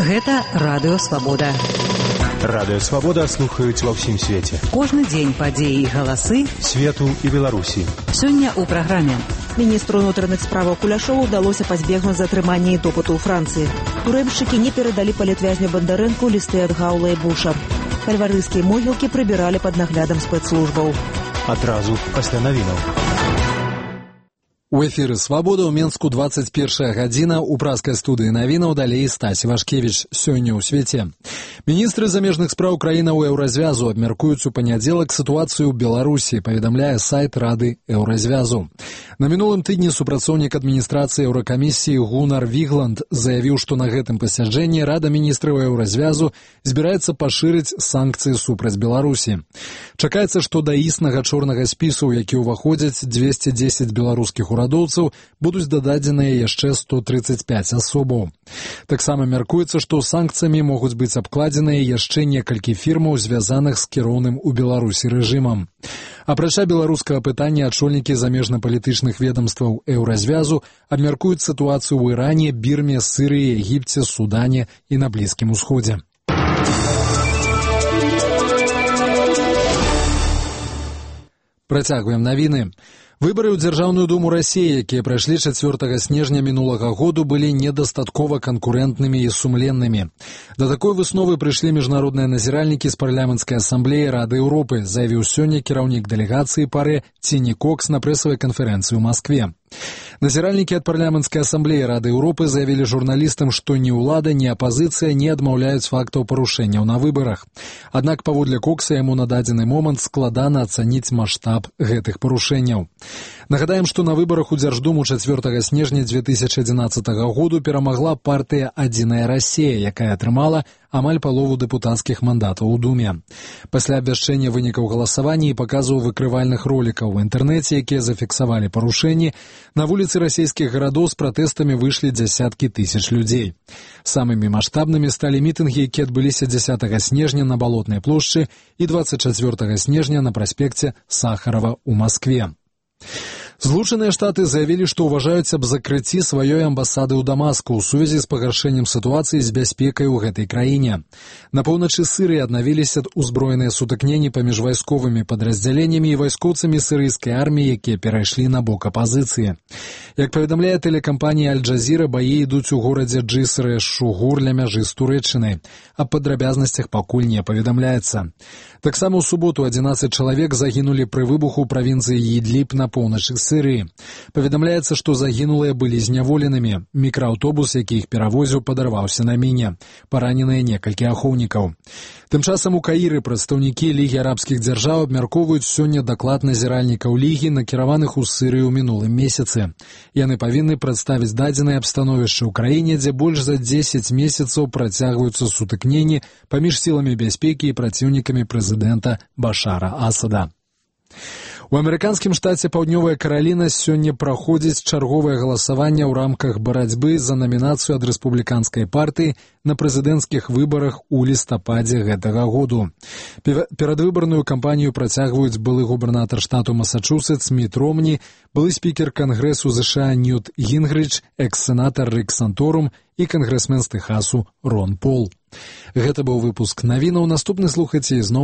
Гэта Радыё Свабода. Радыё Свабода слухаюць ва ўсім свеце. Кожны дзень падзеі і галасы свету і Беларусі. Сёння ў праграме. Міністру ўнутраных справаў Куляшову ўдалося пазбегнуць затрымання і допыту ў Францыі. Турэмшчыкі не перадалі палітвязню Бандарэнку лісты ад Гаула і Буша. Кальварыйскія могілкі прыбіралі пад наглядам спецслужбаў. Адразу пасля навінаў. У эфіры «Свабода» ў Менску 21 гадзіна. У праскай студыі навінаў далей Стась Вашкевіч. Сёння ў свеце. Міністры замежных спраў краінаў Еўразвязу абмяркуюць у панядзелак сітуацыю ў Беларусі, паведамляе сайт Рады Еўразвязу. На мінулым тыдні супрацоўнік адміністрацыі Еўракамісіі Гунар Вігланд заявіў, што на гэтым пасяджэнні Рада міністраў Еўразвязу збіраецца пашырыць санкцыі супраць Беларусі. Чакаецца, што да існага чорнага спісу, у які ўваходзяць 210 беларускіх урадоўцаў, будуць дададзеныя яшчэ 135 асобаў. Таксама мяркуецца, што санкцыямі могуць быць абкладзеныя яшчэ некалькі фірмаў, звязаных з кіроўным у Беларусі рэжымам. Апрача беларускага пытання, ачольнікі замежна-палітычных ведамстваў Еўразвязу абмяркуюць сітуацыю ў Іране, Бірме, Сірыі, Егіпце, Судане і на Блізкім Усходзе. Працягваем навіны. Выбары ў Дзяржаўную думу Расіі, якія прайшлі 4 снежня мінулага году, былі недастаткова канкурэнтнымі і сумленнымі. Да такой высновы прыйшлі міжнародныя назіральнікі з парламенцкай асамблеі Рады Еўропы, заявіў сёння кіраўнік дэлегацыі пары Ціні Кокс на прэсавай канферэнцыі ў Маскве. Назіральнікі ад парламенцкай асамблеі Рады Еўропы заявілі журналістам, што ні ўлада, ні апазіцыя не адмаўляюць фактаў парушэнняў на выбарах. Аднак, паводле Кокса, яму на дадзены момант складана ацаніць маштаб гэтых парушэнняў. Нагадаем, што на выбарах у Дзярждуму 4 снежня 2011 году перамагла партыя «Адзіная Расія», якая атрымала амаль палову дэпутацкіх мандатаў у Думе. Пасля абвяшчэння вынікаў галасавання і паказу выкрывальных ролікаў у інтэрнэце, якія зафіксавалі парушэнні, на вуліцы расійскіх гарадоў з пратэстамі выйшлі дзясяткі тысяч людзей. Самымі маштабнымі сталі мітынгі, якія адбыліся 10 снежня на Балотнай плошчы і 24 снежня на праспекце Сахарова ў Маскве. Злучаныя Штаты заявілі, што ўважаюць аб закрыцці сваёй амбасады ў Дамаску ў сувязі з пагаршэннем сітуацыі з бяспекай у гэтай краіне. На поўначы Сырыі аднавіліся узброеныя сутыкненні паміж вайсковымі падраздзяленнямі і вайскоўцамі сірыйскай арміі, якія перайшлі на бок апазіцыі. Як паведамляе тэлекампанія Аль-Джазіра, баі ідуць у горадзе Джиср-эш-Шугур ля мяжы з Турэччынай. Аб падрабязнасцях пакуль не паведамляецца. Таксама ў суботу 11 чалавек загінулі пры выбуху ў правінцыі Ідліб на поўначы Сырыі. Паведамляецца, што загінулыя былі зняволенымі. Мікрааўтобус, які іх перавозіў, падарваўся на міне. Параненыя некалькі ахоўнікаў. Тым часам у Каіры прадстаўнікі Лігі арабскіх дзяржаў абмяркоўваюць сёння даклад назіральнікаў Лігі, накіраваных у Сырыю ў мінулым месяцы. Яны павінны прадставіць дадзенае аб становішчы ў краіне, дзе больш за 10 месяцаў працягваюцца сутыкненні паміж сіламі бяспекі і праціўнікамі прэзідэнта Башара Асада. У амерыканскім штаце Паўднёвая Караліна сёння праходзіць чарговае галасаванне ў рамках барацьбы за намінацыю ад рэспубліканскай партыі на прэзідэнцкіх выбарах у лістападзе гэтага году. Перадвыбарную кампанію працягваюць былы губернатар штату Масачусетс Міт Ромні, былы спікер Кангрэсу ЗША Ньют Гінгрыч, экс-сенатар Рик Санторум і кангрэсмен з Тэхасу Рон Пол. Гэта быў выпуск навінаў. Наступны слухайце ізноў